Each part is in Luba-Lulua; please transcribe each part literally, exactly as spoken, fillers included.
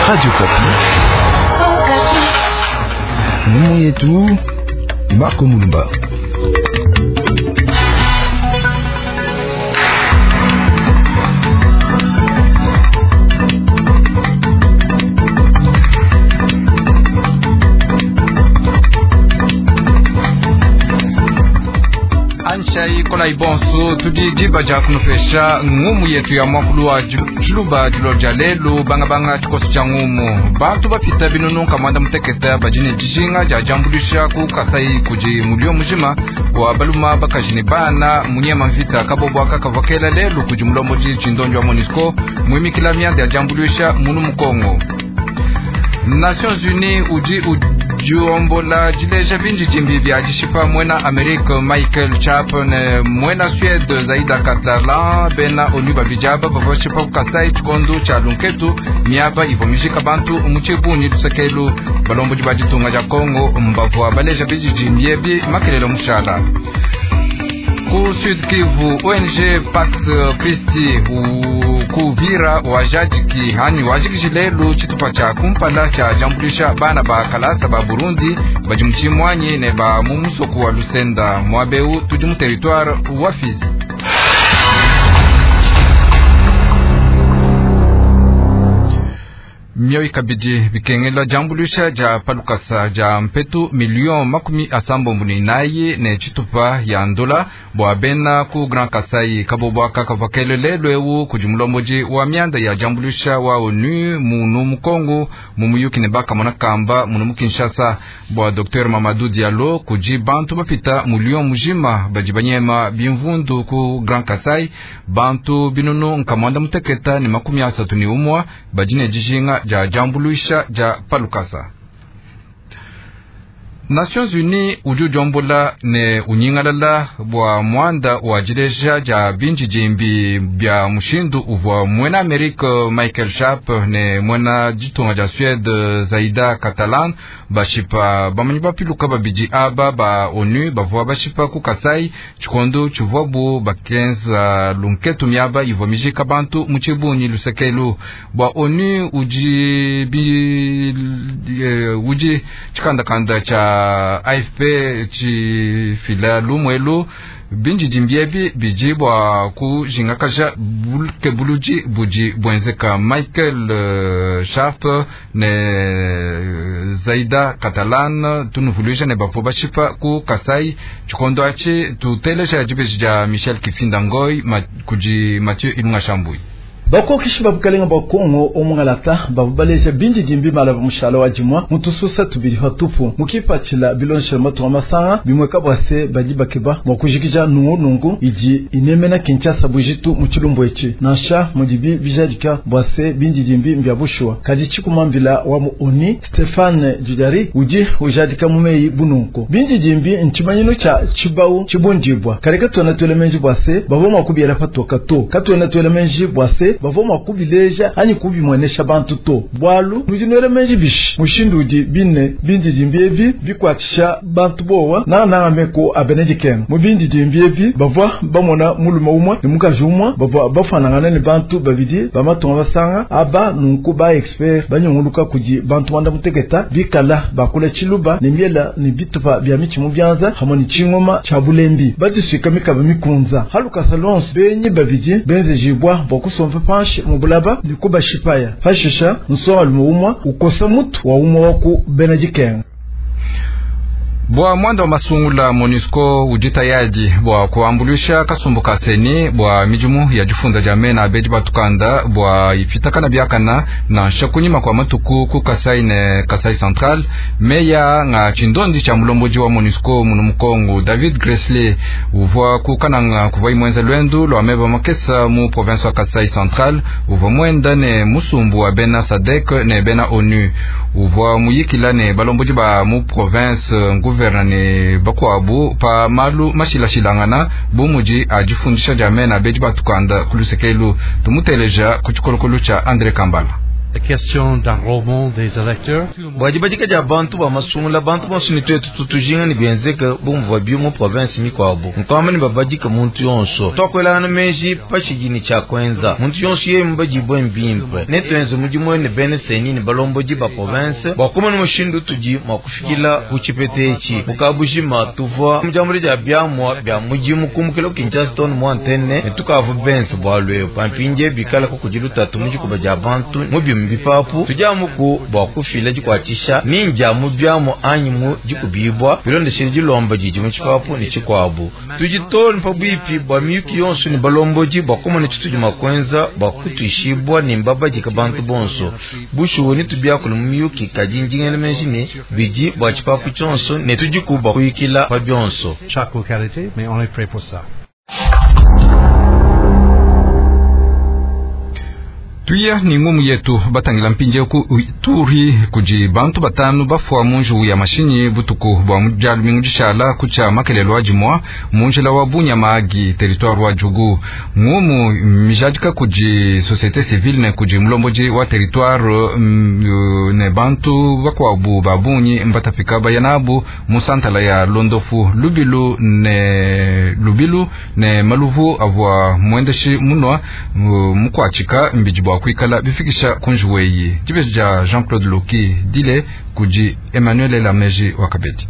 Radio Okapi. Ngumu yetu Marco Mulumba. Anshai kola ibonso tudi diba dia kunufesha ngumu yetu ya mwakulu wa tshiluba dilo dia lelu bangabanga tshikoso tshia ngumu bantu bapita binunu kamwanda muteketa badi ne dijinga dia diambuluisha ku Kasai kudi mulio mujima wa baluma bakaji ne bana munyema mvita kabobwa kakavakela lelu kudi mulombodi tshindondio wa MONUSCO muimikila mianda ya diambuluisha munu mukongo. Nations Unies udi udiombola dileja bindi dimbi bya dishipa mwena Amerika Michael Chap ne mwena Suède Zaida Catalan bena onu babijaba bavashipa ku Kasai tshikondo tshia lunketu miaba ivo mijika bantu mu tshibunyi lusekelu balombodi ba ditunga dia Congo mbavua baleja bindi dimbi ebi makelelo mushala. Ku Sud Kivu O N G Pax Christi kuvira wajadiki hani wajikijilelu tshitupa tshia kumpala tshia diambuluisha bana ba kalasa ba Burundi badi mu tshimwanyi ne ba mu musoku wa Lusenda mwabeu tudi mu territoire wa Fizi. Mioyi kabidi bikengela diambuluisha dia palukasa dia mpetu million makumi asambombo ne inayi ne tshitupa ya ndola bua bena ku Grand Kasai kabobwa kakavakele lelu ewu kudi mulombodi wa mianda ya diambuluisha wa ONU munu mukongo mu muyuki ne bakamona kamba munu mu Kinshasa bua Docteur Mamadou Diallo kudi bantu bapita million mujima badi banyema bimvundu ku Grand Kasai bantu binunu nkamwanda muteketa ne makumi asatu ne umwa badi ne dijinga dia diambuluisha dia palukasa. Nations Unies udi udiombola ne unyingalala bua muanda wa dileja dia bindi dimbi bia mushindu uvua mwena Amerika Michael Sharp ne mwena ditunga dia Suède Zaida Catalan bashipa bamanyi bapiluka babidi aba ba ONU bavua bashipa ku Kasai tshikondo tshivuabu bakenza lunketu miaba ivua mijika bantu mu tshibunyi lusekelu bua ONU udi bi udi tshikandakanda tshia A F P tshifila lumwelu bindi dimbiebi bidi bua kujingakaja bulukebuludi budi buenzeka Michael uh, Sharp ne Zaida Catalan tunuvuluija ne bavua bashipa ku Kasai tshikondo atshi tuteleja dibeji dia Michel Kifinda Ngoi ma, kudi Mathieu Ilunga Shambui. Bakokishi babukalenga bwa Kongo omungalata babubaleja bindi dimbi mala mushala wa jimwa mutususa tubiri hatupu mukipatshila bilonshela matunga masanga bimweka bwase badi bakeba mwa kujikija nungu nungu idi inemena Kinshasa bujitu mu tshilumbu etshi nansha mudibi bijadika bwase bindi dimbi mbya bushuwa kadi tshikumambila wa mu ONU Stephane Dujarric udi ujadika mumeyi bununku bindi dimbi ntshimanyino tshia tshibau tshibundibwa kale katwena twele menji bwase bavua mwa kubiela patoka to katwena twele menji bwase bavua mwa kubileja anyi kubimwenesha bantu to bwalu nudi menji bishi mushindu udi bine bindi dimbi ebi bikwatshisha bantu bowa nangananga meko abenedikenga mu bindi dimbi ebi bavua bamona mulume umwe ne mukaji umwe bavua bafanangana ne bantu babidi bamatunga basanga aba nunku ba expert banyunguluka kudi bantu wanda muteketa bikala bakula tshiluba ne miela ne bitupa bya mitshi mu byanza hamwe ne tshingoma tshia bulembi badiswika mikaba mikunza halukasa lonso benyi babidi benzejibwa bua kusompa panshi mubulaba nikuba shipaya pashisha nsonga lume umwa ukosa mutu wa umwa waku benedikenga. Bua mwanda wa masungula MONUSCO udi tayadi bua kuambuluisha kasumbu ka seni bua midimu ya difunda dia mena abedi batukanda bua ipitakana biakana nansha kunyima kwa matuku ku Kasai ne Kasai Central meya nga tshindondi tshia mulombodi wa MONUSCO munu mukongo David Gressly uvua kukananga kuvua imwenza lwendu lwa meba makesa mu province wa Kasai Central uvua mwenda ne musumbu wa bena SADC ne bena ONU uvua muyikila ne balombodi ba mu province gouverneur ne bakwabu pa malu mashilashilangana bu mudi adifundisha dia mena abedi batukanda kulusekelu tumuteleja ku tshikolokolo tshia André Kambala. Bua dibadika dia bantu ba masungula bantu bonso ni twetu tutujinga ni bienzeka bumvua bi mu province mikuabu nkwamba ni babadika muntu yonso twakwelana meji pashigini cha kwenza muntu yonso yeye mbajibwe mbimpe ne twenze mudimu ne bene seni ni balombodi ba province bwa kumana mushindu tudi mwa kufikila ku chipete mukabujima tuvua mujambo dia byamwa bya mujimu kumukilo Kinshasa mu antenne ne tukavu bense bwalwe pampinje bikala ko kujiluta tumujikuba ja bantu mu bimbi papu tujamuku bwa kufila jikwatisha ninja mu byamo anyi mu jikubibwa bilondeshele jilomba jiji mu chipapu ni chikwabu tujitoni pabwipi bwa miyuki yonso ni balomboji bwa kumana chituji makwenza bwa kutuishibwa ni mbaba jika bantu bonso bushuwe ni tubyakula mu miyuki kajinjingele menjini biji bwa chipapu chonso ne tujikuba kuyikila pa byonso. Chaque localité, mais on est prêt pour ça. Tuya ni ngumu yetu batangila mpinje ku turi kuji bantu batanu bafwa munju ya mashinyi butuku bwa mujalu mingujishala kucha makelelo ajimwa munjila wa Bunyamagi territoire wa Jugu ngumu mijadika kuji société civile ne kuji mulomboji wa territoire mm, ne bantu bakwabu babunyi mbatapika bayanabu musantala ya Londofu Lubilu ne Lubilu ne maluvu avwa mwendeshi munwa mukwachika mbiji kuikala bifikisha kunjuweyi jibeja Jean-Claude Loki dile kuji Emmanuel Lameji wakabeti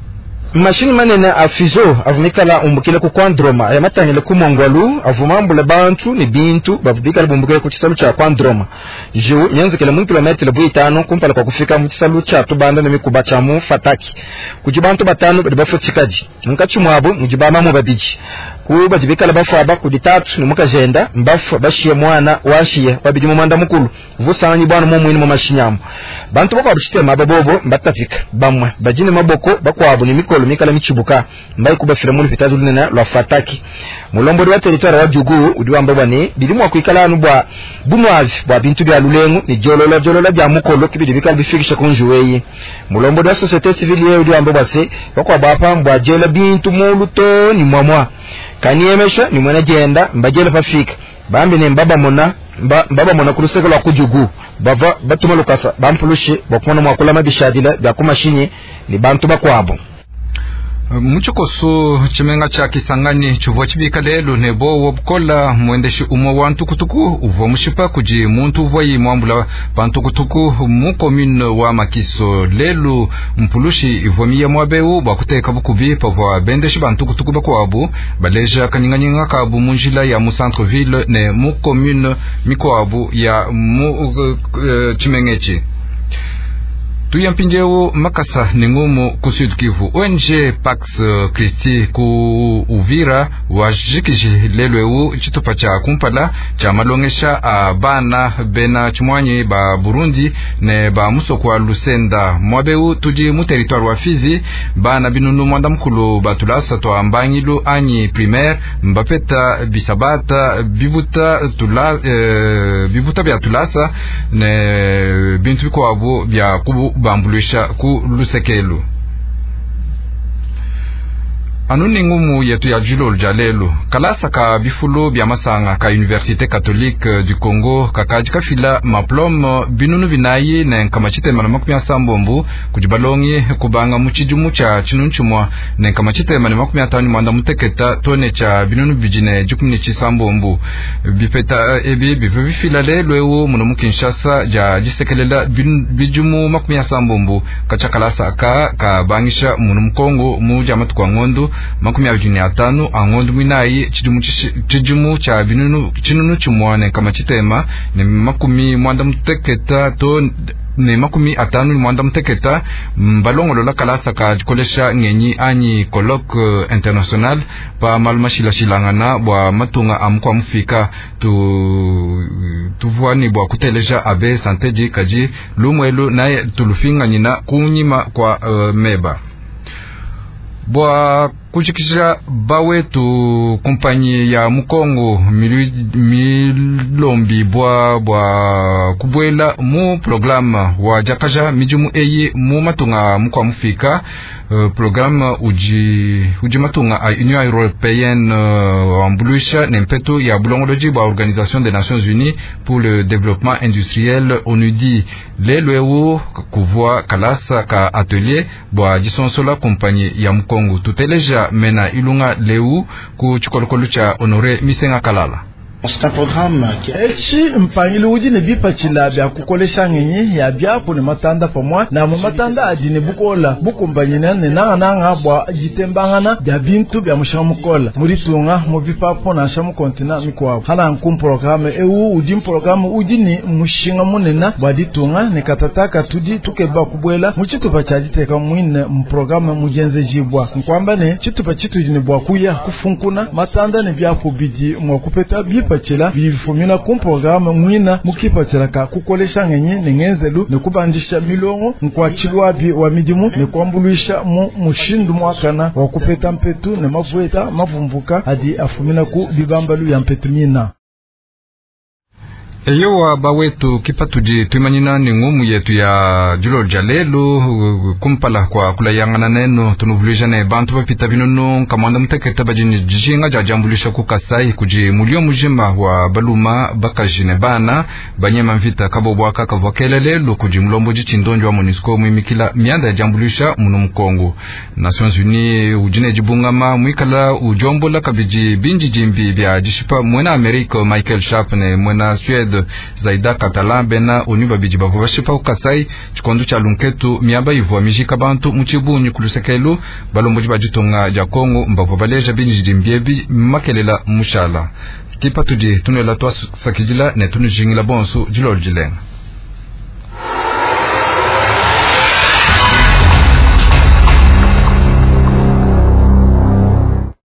mashini manene a fizo avumikala umbukile ku kwandroma yamatangile ku mongwalu avumambula bantu ni bintu bavubikala bumbukile ku chisalu cha kwandroma jiu nyenzekele mu kilometele buitano kumpala kwa kufika mu chisalu cha tubanda ne mikuba cha mu fataki kuji bantu batano badi bafutshikaji munkatshi mwabo mujibama mu babiji ku bajibikala bafaba kudi tatu ni mukajenda mbafu bashiye mwana washiye babidi mu manda mukulu vusanyi bwana mu mwini mu mashinyamu bantu bakwa bushitema babobo mbatafika bamwe bajine maboko bakwabo ni mikolo mikala michibuka mbai kubafira mu lupitali lunene lwa fataki mulombodi wa territoire wa Jugu udi wamba bwane bili mwa kuikala anu bwa bunwavi bwa bintu bya lulengu ni jolola jolola bya mukolo kibidi bikala bifikisha kunjuweyi mulombodi wa société civile ye udi wamba bwase bakwa bapa mbwa jela bintu muluto ni mwamwa kaniemesha ni mwana jenda mbajela pafika bambi ne mbaba mona mba, mbaba mona kuluseka lwa kujugu bava batuma lukasa bampulushe bakumona mwakula mabishadila bya kumashinyi ni bantu bakwabo muchikoso chimenga cha Kisangani chuvua chibika lelu nebo wobukola mwendeshi umwe wa ntukutuku uvua mushipa kuji muntu uvua yimwambula pantukutuku mu commune wa Makiso lelu mpulushi ivua miya mwabeu bwa kuteka bukubi pavua bendeshi bantukutuku bakwabu baleja kanyinganyinga kabu munjila ya mu centre ville ne mu commune mikwabu ya mu uh, uh, chimengechi tuya mpinjewu makasa ni ngumu ku Sud Kivu O N G Pax Christi ku Uvira wajikiji lelwewu chitupa cha kumpala cha malongesha a bana bena chimwanyi ba Burundi ne ba musoko wa Lusenda mwabeu tuji mu territoire wa Fizi bana binunu mwanda mukulu batulasa twa mbangilu anyi primaire mbapeta bisabata bibuta tula e, bibuta bya tulasa ne bintu bikwabu bya kubu bambulisha ku lusekelu anuni ngumu yetu ya julolo ja lelo kalasa ka bifulo bya masanga ka Université Catholique du Congo kakaji kafila maplome binunu binayi ne nkama tshitema na makumi asambombo kudi balongi kubanga mu tshidimu tshia tshinunu tshimua ne nkama tshitema ne makumi atanu mwanda muteketa tone tshia binunu bibidi ne dikumi ne tshisambombo bipeta ebi bivua bifila lelo ewu muno mu Kinshasa dia disekelela bidimu makumi asambombo katshia kalasa aka kabangisha muno mu Kongo mu dia matuku a ngondo makumi abiri ne atanu angondo mwinayi tshidimu tshidimu tshia binunu tshinunu tshimua ne nkama tshitema ne makumi mwanda muteketa to ne makumi atanu ne mwanda muteketa mbalongolola kalasa ka dikolesha ngenyi anyi colloque international pa malu mashilashilangana bua matunga a mukua mufika tu tuvua ni bua kuteleja abe santeji kaji lumwelu naye tulufinganyina kunyima kwa uh, meba bua Kujikija bawetu kumpanyi ya Mukongo milombi bwa bwa kubwela mu programme wa jakaja midimu eyi mu matunga mukwa mufika uh, programme uji uji matunga a Union Européenne uh, wambuluisha ne mpetu ya bulongoloji bwa Organisation des Nations Unies pour le développement industriel ONUDI lelo ewu kuvua kalasa ka atelier bwa jisonsola kumpanyi ya Mukongo tuteleja mena ilunga leu ku tshikolokolo tshia Honore Misenga Kalala. Echi mpangilu udi ne bipatshila bya kukolesha ngenyi ya byapu ne matanda pamwa na mu matanda adi ne bukola bukumbanyina ne nangananga bwa jitembangana bya bintu bya mushinga mukola muri tunga mu bipapu nansha mu kontina mikuabu hana nku ewu udi mprograme udi ne mushinga munene bwa ditunga ne katataka tudi tukeba kubwela mu tshitupa tshia diteka mwine mu programe mujenzejibwa nkwamba ne tshitupa tshitudi ne bwa kuya kufunkuna matanda ne byapu bidi mwa kupeta bipa chila bifumina ku programme mwina mukipatshila ka kukolesha ngenyi ne ngenzelu ne kubandisha milongo nkwatshilwabi wa midimu ne kuambuluisha mu mushindu mwakana wa kupeta mpetu ne mavueta mavumbuka adi afumina ku bibambalu ya mpetu mina. Eyowa bawetu kipatudi tuimanyina ni ngumu yetu ya dilo dia lelu kumpala kwa kulayangana neno tunuvuluija ne bantu bapita binunu nkamwanda mutekete badi ne dijinga dia diambuluisha ku Kasai kudi mulio mujima wa baluma bakaji ne bana banyema mvita kabobwaka kavua kele lelu kudi mulombodi tshindonjo wa MONUSCO muimikila mianda ya diambuluisha munu Mukongo. Nations Unies udi ne dibungama muikala udiombola kabidi bindidimbi bia dishipa muena Amerika Michael Sharp ne muena Suède Zaida Catalan bena onu babidi bavua bashipa ku Kasai tshikondo tshia lunketu miaba ivua mijika bantu mu tshibunyi ku lusekelu balombodi ba ditunga dia Kongo mbavua baleja bindidimbi ebi makelela mushala kipatudi tunuela twasakidila ne tunujingila bonso dilolo dilenga.